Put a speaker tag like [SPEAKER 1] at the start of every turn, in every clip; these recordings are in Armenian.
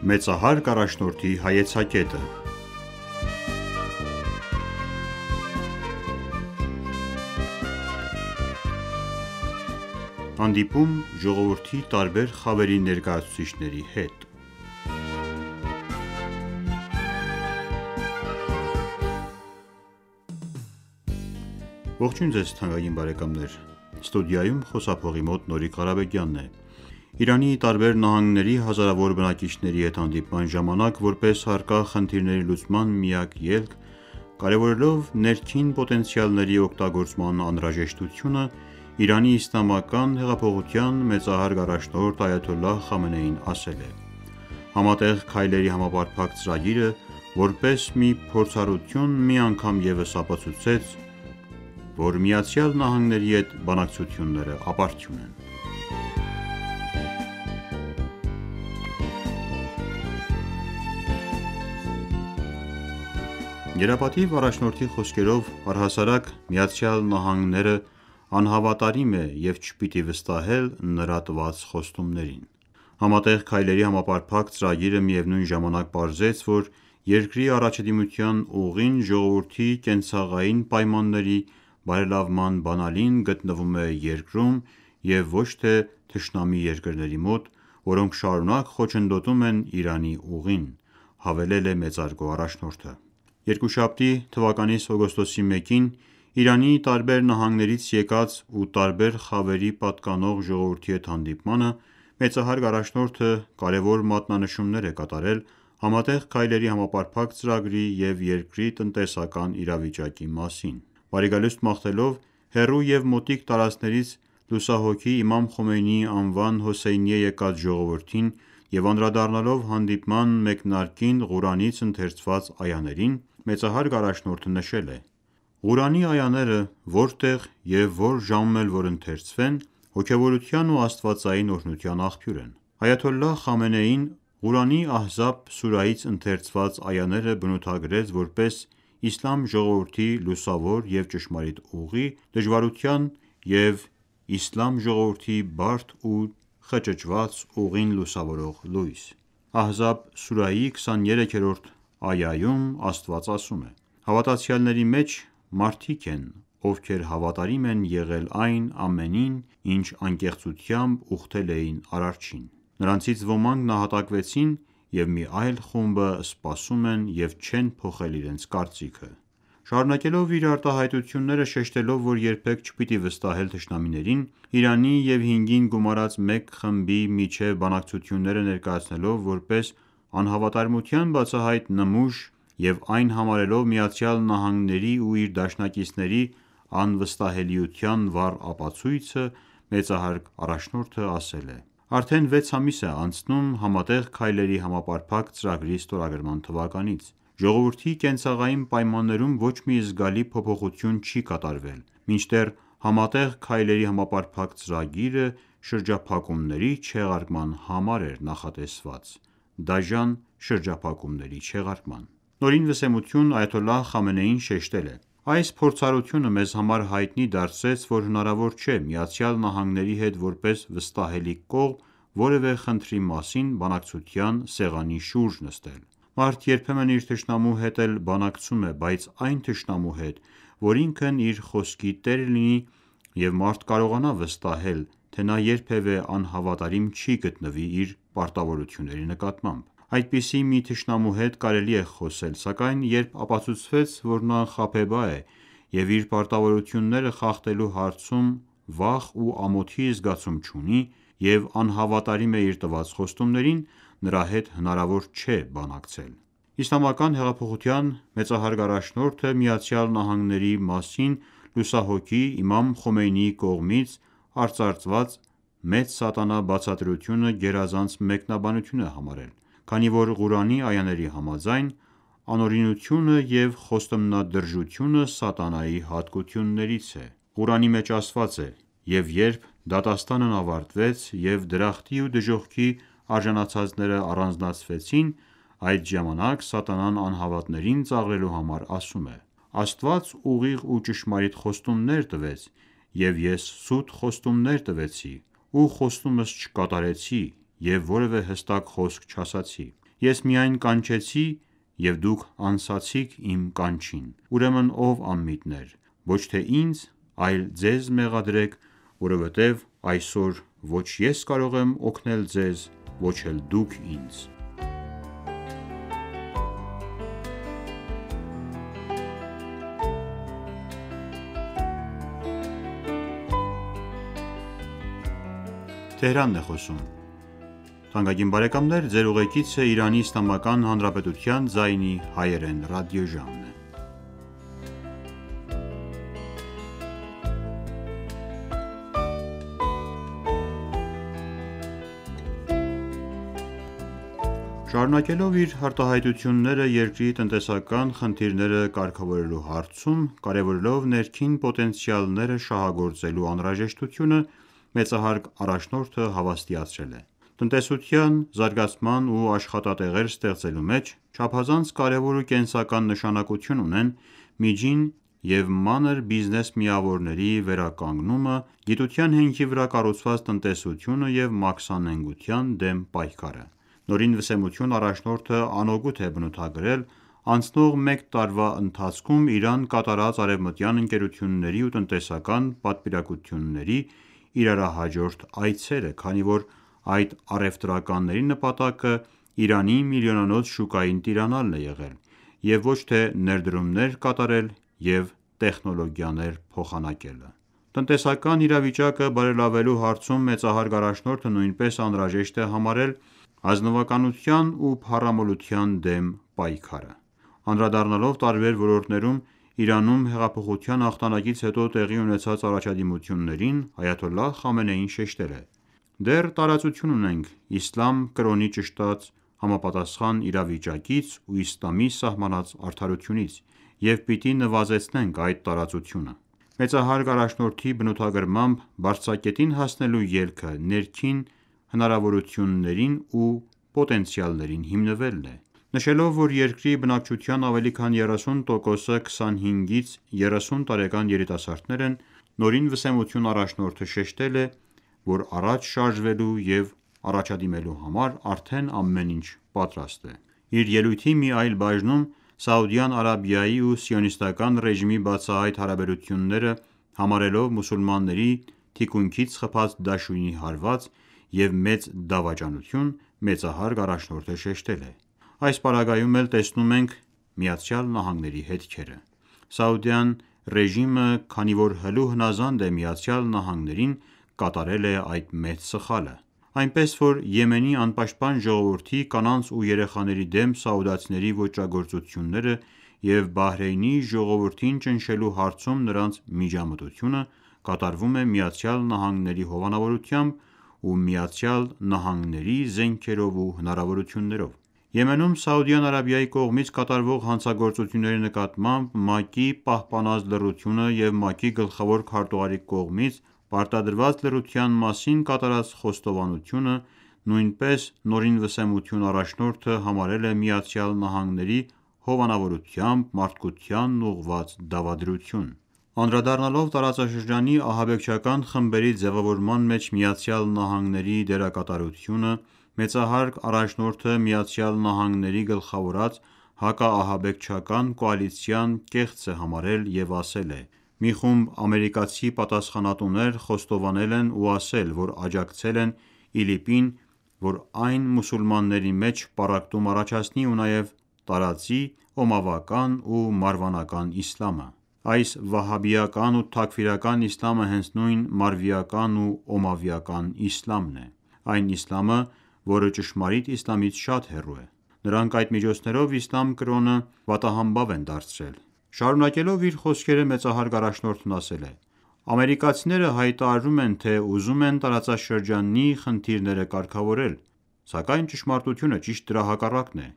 [SPEAKER 1] Մեծահարկ առաջնորդի հայեցակետը։ Հանդիպում ժողովրդի տարբեր խավերի ներկայացուցիչների հետ։ Ողջույն ձեզ թանկագին բարեկամներ, ստուդիայում խոսափողի մոտ Նորիկ Ղարաբեկյանն է։ Իրանի տարբեր նահանգների հազարավոր բնակիչների հետ հանդիպման ժամանակ որպես առկա խնդիրների լուծման միակ ելք, կարևորելով ներքին պոտենցիալների օգտագործման անհրաժեշտությունը, Իրանի իսլամական հեղափոխության մեծահարկ առաջնորդ Այաթոլլահ Խամենեին ասել է. «Համատեղ քայլերի համապարփակ ծրագիրը, որպես մի փորձառություն, մի անգամ ևս ապացուցեց, որ ԱՄՆ-ի հետ բանակցությունները ապարդյուն են»։ Գերապատիվ առաջնորդի խոսքերով, առհասարակ ԱՄՆ-ը անհավատարիմ է և չպիտի վստահել նրա տված խոստումներին։ Համատեղ քայլերի համապարփակ ծրագիրը միևնույն ժամանակ պարզեց, որ երկրի առաջադիմության ուղին ժողովրդի կենցաղային պայմանների բարելավման բանալին գտնվում է երկրում և ոչ թե թշնամի երկրների մոտ, որոնք շարունակ խոչընդոտում են Իրանի ուղին, հավելել է մեծարգո առաջնորդը։ Երկուշաբթի թվականի օգոստոսի 1-ին Իրանի տարբեր նահանգներից եկած ու տարբեր խավերի պատկանող ժողովրդի հետ հանդիպմանը մեծահարկ առաջնորդը կարևոր մատնանշումներ է կատարել Համատեղ քայլերի համապարփակ ծրագրի և երկրի տնտեսական իրավիճակի մասին։ Բարիգալուստ մաղթելով հեռու և մոտիկ տարածքներից լուսահոգի Իմամ Խոմեյնիի անվան Հոսեյնիե եկած ժողովրդին և անդրադառնալով հանդիպման մեկնարկին Ղուրանից ընթերցված այաներին, մեծահարկ առաջնորդը նշել է. «Ղուրանի այաները որտեղ և որ ժամում էլ որ ընթերցվեն, հոգևորության ու աստվածային օրհնության աղբյուր են»։ Այաթոլլահ Խամենեին Ղուրանի Ահզաբ սուրահից ընթերցված այաները բնութագրեց որպես իսլամ ժողովրդի լուսավոր և ճշմարիտ ուղի, դժվարության և իսլամ ժողովրդի բարդ ու խճճված ուղին լուսավորող լույս։ Ահզաբ սուրահի 23-րդ այայում Աստված ասում է. «Հավատացյալների մեջ մարդիկ են, ովքեր հավատարիմ են եղել այն ամենին, ինչ անկեղծությամբ ուխտել էին Արարչին։ Նրանցից ոմանք նահատակվեցին, և մի այլ խումբը սպասում են և չեն փոխել իրենց կարծիքը»։ Շարունակելով իր արտահայտությունները շեշտելով, որ երբեք չպիտի վստահել թշնամիներին, Իրանի և հինգին գումարած մեկ խմբի միջև բանակցությունները ներկայացնելով որպես անհավատարմության բացահայտ նմուշ և այն համարելով ԱՄՆ-ի ու իր դաշնակիցների անվստահելիության վառ ապացույցը, մեծահարկ առաջնորդը ասել է. «Արդեն 6 ամիս է անցնում Համատեղ քայլերի համապարփակ ծրագրի ստորագրման թվականից։ Ժողովրդի կենցաղային պայմաններում ոչ մի զգալի փոփոխություն չի կատարվել, մինչդեռ Համատեղ քայլերի համապարփակ ծրագիրը շրջափակումների չեղարկման համար էր նախատեսված՝ դաժան շրջափակումների չեղարկման»։ Նորին վսեմություն Այաթոլլահ Խամենեին շեշտել է. «Այս փորձառությունը մեզ համար հայտնի դարձրեց, որ հնարավոր չէ ԱՄՆ-ի հետ որպես վստահելի կողմ որևէ խնդրի մասին բանակցության սեղանի շուրջ նստել։ Մարդ երբեմն իր թշնամու հետ էլ բանակցում է, բայց այն թշնամու հետ, որ ինքն իր խոսքի տերը լինի, և մարդ կարողանա վստահել, թե նա երբևէ անհավատարիմ չի գտնվի իր պարտավորությունների նկատմամբ։ Այդպիսի մի թշնամու հետ կարելի է խոսել, սակայն երբ ապացուցվեց, որ նա անխաբեբա է և իր պարտավորությունները խախտելու հարցում վախ ու ամոթի զգացում չունի և անհավատարիմ է իր տված խոստումներին, նրա հետ հնարավոր չէ բանակցել»։ Իսլամական հեղափոխության մեծահարկ առաջնորդը ԱՄՆ-ի մասին լուսահոգի Իմամ Խոմեյնիի կողմից արծարծված «Մեծ սատանա» բացատրությունը գերազանց մեկնաբանություն է համարել, քանի որ Ղուրանի այաների համաձայն, անօրինությունը և խոստումնադրժությունը սատանայի հատկություններից է։ Ղուրանի մեջ ասված է. «Եվ երբ դատաստանն ավարտվեց և դրախտի ու դժոխքի արժանացածները առանձնացվեցին, այդ ժամանակ սատանան անհավատներին ծաղրելու համար ասում է. Աստված ուղիղ ու ճշմարիտ խոստումներ տվեց, և ես սուտ խոստումներ տվեցի ու խոստումս չկատարեցի և որևէ հստակ խոսք չասացի։ Ես միայն կանչեցի և դուք անսացիք իմ կանչին: Ուրեմն ով անմիտներ, ոչ թե ինձ, այլ ձեզ մեղադրեք, որովհետև այսօր ոչ ես կարող եմ օգնել ձեզ, ոչ էլ դուք ինձ»: Շարունակելով իր արտահայտությունները երկրի տնտեսական խնդիրները կարգավորելու հարցում, կարևորելով ներքին պոտենցիալները շահագործելու անհրաժեշտությունը, մեծահարկ առաջնորդը հավաստիացրել է. «Տնտեսության զարգացման ու աշխատատեղեր ստեղծելու մեջ չափազանց կարևոր ու կենսական նշանակություն ունեն միջին և մանր բիզնես միավորների վերականգնումը, գիտության հենքի վրա կառուցված տնտեսությունը և մաքսանենգության դեմ պայքարը»: Նորին վսեմություն առաջնորդը անօգուտ է բնութագրել անցնող մեկ տարվա ընթացքում Իրան կատարած արևմտյան ընկերությունների ու տնտեսական պատվիրակությունների իրարահաջորդ այցերը, քանի որ այդ առևտրականների նպատակը Իրանի միլիոնանոց շուկային տիրանալն է եղել և ոչ թե ներդրումներ կատարել և տեխնոլոգիաներ փոխանակելը: Տնտեսական իրավիճակը բարելավելու հարցում մեծահարկ առաջնորդը նույնպես անհրաժեշտ է համարել ազնվականության ու փառամոլության դեմ պայքարը: Անդրադառնալով տարբեր ոլորտներում Իրանում հեղափոխության հաղթանակից հետո տեղի ունեցած առաջադիմություններին, այաթոլլահ Խամենեին շեշտել է. «Դեռ տարածություն ունենք իսլամ կրոնի ճշտած համապատասխան իրավիճակից ու իսլամի սահմանած արդարությունից և պիտի նվազեցնենք այդ տարածությունը»: Մեծահարկ առաջնորդի բնութագրմամբ բարձրակետին հասնելու ելքը ներքին հնարավորություններին ու պոտենցիալներին հիմնվելն է: Նշելով, որ երկրի բնակչության ավելի քան 30%-ը 25-ից 30 տարեկան երիտասարդներ են, նորին վսեմություն առաջնորդը շեշտել է, որ առաջ շարժվելու և առաջադիմելու համար արդեն ամեն ինչ պատրաստ է: Իր ելույթի մի այլ բաժնում Սաուդյան Արաբիայի ու Սիոնիստական ռեժիմի բացահայտ հարաբերությունները համարելով մուսուլմանների թիկունքից խփած դաշույնի հարված և մեծ դավաճանություն, մեծահարկ առաջնորդը շեշտել է. «Այս պարագայում էլ տեսնում ենք ԱՄՆ-ի հետքերը: Սաուդյան ռեժիմը, քանի որ հլու հնազանդ է ԱՄՆ-ին, կատարել է այդ մեծ սխալը: Այնպես որ Եմենի անպաշտպան ժողովրդի, կանանց ու երեխաների դեմ սաուդացիների ոճրագործությունները և Բահրեյնի ժողովրդին ճնշելու հարցում նրանց միջամտությունը կատարվում է ԱՄՆ-ի հովանավորությամբ ու ԱՄՆ-ի զենքերով ու հնարավորություններով: Եմենում Սաուդյան Արաբիայի կողմից կատարվող հանցագործությունների նկատմամբ ՄԱԿ-ի պահպանած լռությունը և ՄԱԿ-ի գլխավոր քարտուղարի կողմից պարտադրված լռության մասին կատարած խոստովանությունը նույնպես նորին վսեմություն առաջնորդը համարել է ԱՄՆ-ի հովանավորությամբ մարդկությանն ուղղված դավադրություն: Անդրադառնալով տարածաշրջանի ահաբեկչական խմբերի ձևավորման մեջ ԱՄՆ-ի դերակատարությանը, մեծահարկ առաջնորդը ԱՄՆ-ի գլխավորած հակաահաբեկչական կոալիցիան կեղծ է համարել և ասել է. «Մի խումբ ամերիկացի պատասխանատուներ խոստովանել են ու ասել, որ աջակցել են ԻԼԻՊ-ին, որ այն մուսուլմանների մեջ պառակտում առաջացնի ու նաև տարածի օմավական ու մարվանական իսլամը: Այս վահաբիական ու թաքֆիրական իսլամը հենց նույն մարվիական ու օմավիական իսլամն է: Այն իսլամը, որը ճշմարիտ իսլամից շատ հեռու է: Նրանք այդ միջոցներով իսլամ կրոնը պատահամբավ են դարձրել»: Շարունակելով իր խոսքերը մեծահարկ առաջնորդն ասել է. «Ամերիկացիները հայտարարում են, թե ուզում են տարածաշրջանի խնդիրները կարգավորել, սակայն ճշմարտությունը ճիշտ դրա հակառակն է: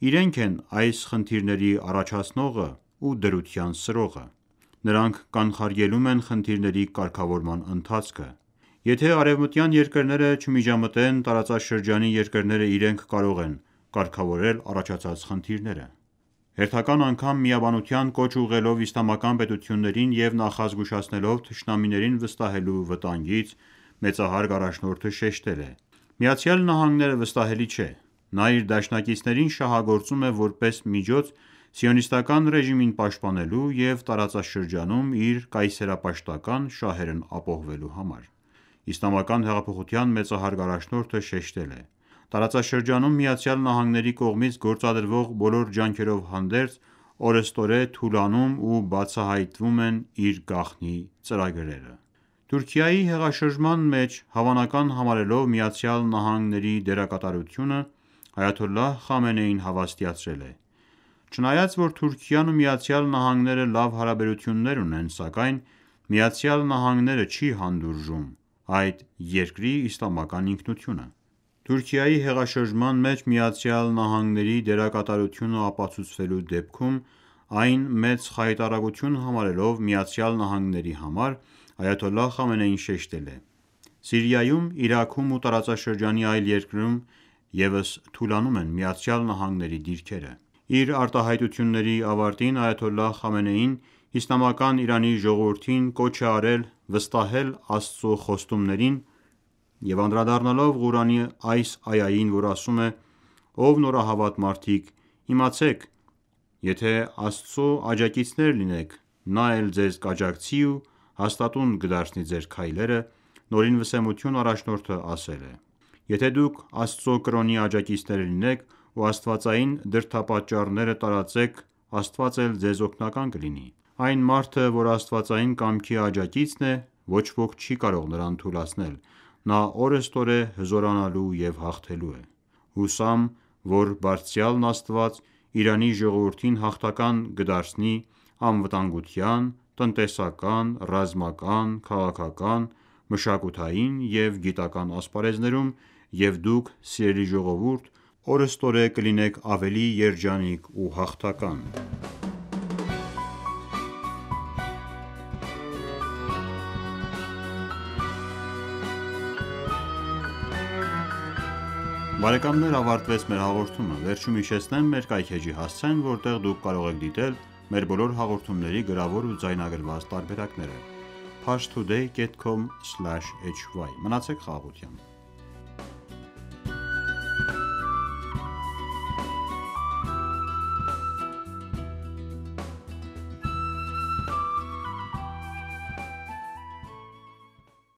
[SPEAKER 1] Իրենք են այս խնդիրների առաջացնողը ու դրության սրողը: Նրանք կանխարգելում են խնդիրների կարգավորման ընթացքը: Եթե արևմտյան երկրները չմիջամտեն, տարածաշրջանի երկրները իրենք կարող են կարգավորել առաջացած խնդիրները»: Հերթական անգամ միաբանության կոչ ուղղելով իսլամական պետություններին և նախազգուշացնելով թշնամիներին վստահելու վտանգից, մեծահարկ առաջնորդը շեշտել է. «ԱՄՆ-ը վստահելի չէ: Նա իր դաշնակիցներին շահագործում է որպես միջոց սիոնիստական ռեժիմին պաշտպանելու և տարածաշրջանում իր կայսերապաշտական շահերն ապահովելու համար: Իսլամական հեղափոխության մեծահարկ առաջնորդը շեշտել է. «Տարածաշրջանում ԱՄՆ-ի կողմից գործադրվող բոլոր ջանքերով հանդերձ, օրըստօրե թուլանում ու բացահայտվում են իր գաղտնի ծրագրերը»: Թուրքիայի հեղաշրջման մեջ հավանական համարելով ԱՄՆ-ի դերակատարությունը, այաթոլլահ Խամենեին հավաստիացրել է. «Չնայած որ Թուրքիան ու ԱՄՆ-ն լավ հարաբերություններ ունեն, սակայն ԱՄՆ-ն չի հանդուրժում այդ երկրի իսլամական ինքնությունը»: Թուրքիայի հեղաշրջման մեջ ԱՄՆ-ի դերակատարությունը ապացուցվելու դեպքում այն մեծ խայտառակություն համարելով ԱՄՆ-ի համար, այաթոլլահ Խամենեին շեշտել է. «Սիրիայում, Իրաքում ու տարածաշրջանի այլ երկրներում ևս թուլանում են ԱՄՆ-ի դիրքերը»: Իր արտահայտությունների ավարտին այաթոլլահ Խամենեին իսլամական Իրանի ժողովրդին կոչ է արել վստահել Աստծո խոստումներին և անդրադառնալով Ղուրանի այս այային, որ ասում է. «Ով նորահավատ մարդիկ, իմացեք, եթե Աստծո աջակիցներ լինեք, Նա էլ ձեզ կաջակցի ու հաստատուն կդարձնի ձեր քայլերը», Նորին վսեմություն առաջնորդը ասել է. «Եթե դուք Աստծո կրոնի աջակիցներ լինեք ու աստվածային դրդապատճառները տարածեք, Աստված էլ ձեզ օգնական կլինի: Այն մարդը, որ աստվածային կամքի աջակիցն է, ոչ ոք չի կարող նրան թուլացնել: Նա օրըստօրե հզորանալու և հաղթելու է: Հուսամ, որ Բարձրյալն Աստված Իրանի ժողովրդին հաղթական կդարձնի անվտանգության, տնտեսական, ռազմական, քաղաքական, մշակութային և գիտական ասպարեզներում և դուք սիրելի ժողովուրդ օրըստօրե կլինեք ավելի երջանիկ ու հաղթական»: Բարեկամներ ավարտվեց մեր հաղորդումը: Վերջում հիշեցնեմ մեր կայքէջի հասցեն, որտեղ դուք կարող եք դիտել մեր բոլոր հաղորդումների գրավոր ու ձայնագրված տարբերակները: Parstoday.com/hy Մնացեք խաղաղությամբ: